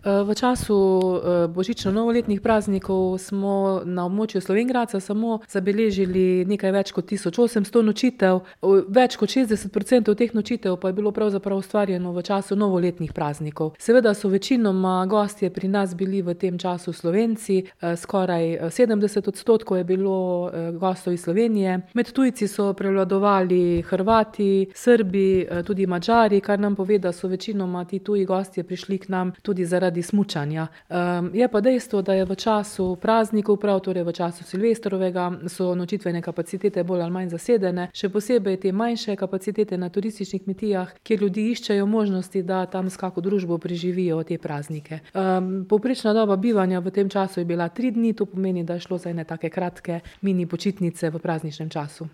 V času, božično-novoletnih praznikov smo na območju Slovenj Gradca samo zabeležili nekaj več kot 1800 nočitev. Več kot 60% teh nočitev pa je bilo pravzaprav ustvarjeno v času novoletnih praznikov. Seveda so večinoma gostje pri nas bili v tem času Slovenci, skoraj 70% je bilo, gostov iz Slovenije. Med tujci so prevladovali Hrvati, Srbi, tudi Madžari, kar nam pove, da so večinoma ti tuji gostje prišli k nam tudi zaradi smučanja. Je pa dejstvo, da je v času praznikov, prav torej v času silvestrovega, so nočitvene kapacitete bolj ali manj zasedene, še posebej te manjše kapacitete na turističnih kmetijah, kjer ljudje iščejo možnosti, da tam s kako družbo preživijo te praznike. Povprečna doba bivanja v tem času je bila 3 dni, to pomeni, da je šlo za ene take kratke mini počitnice v prazničnem času.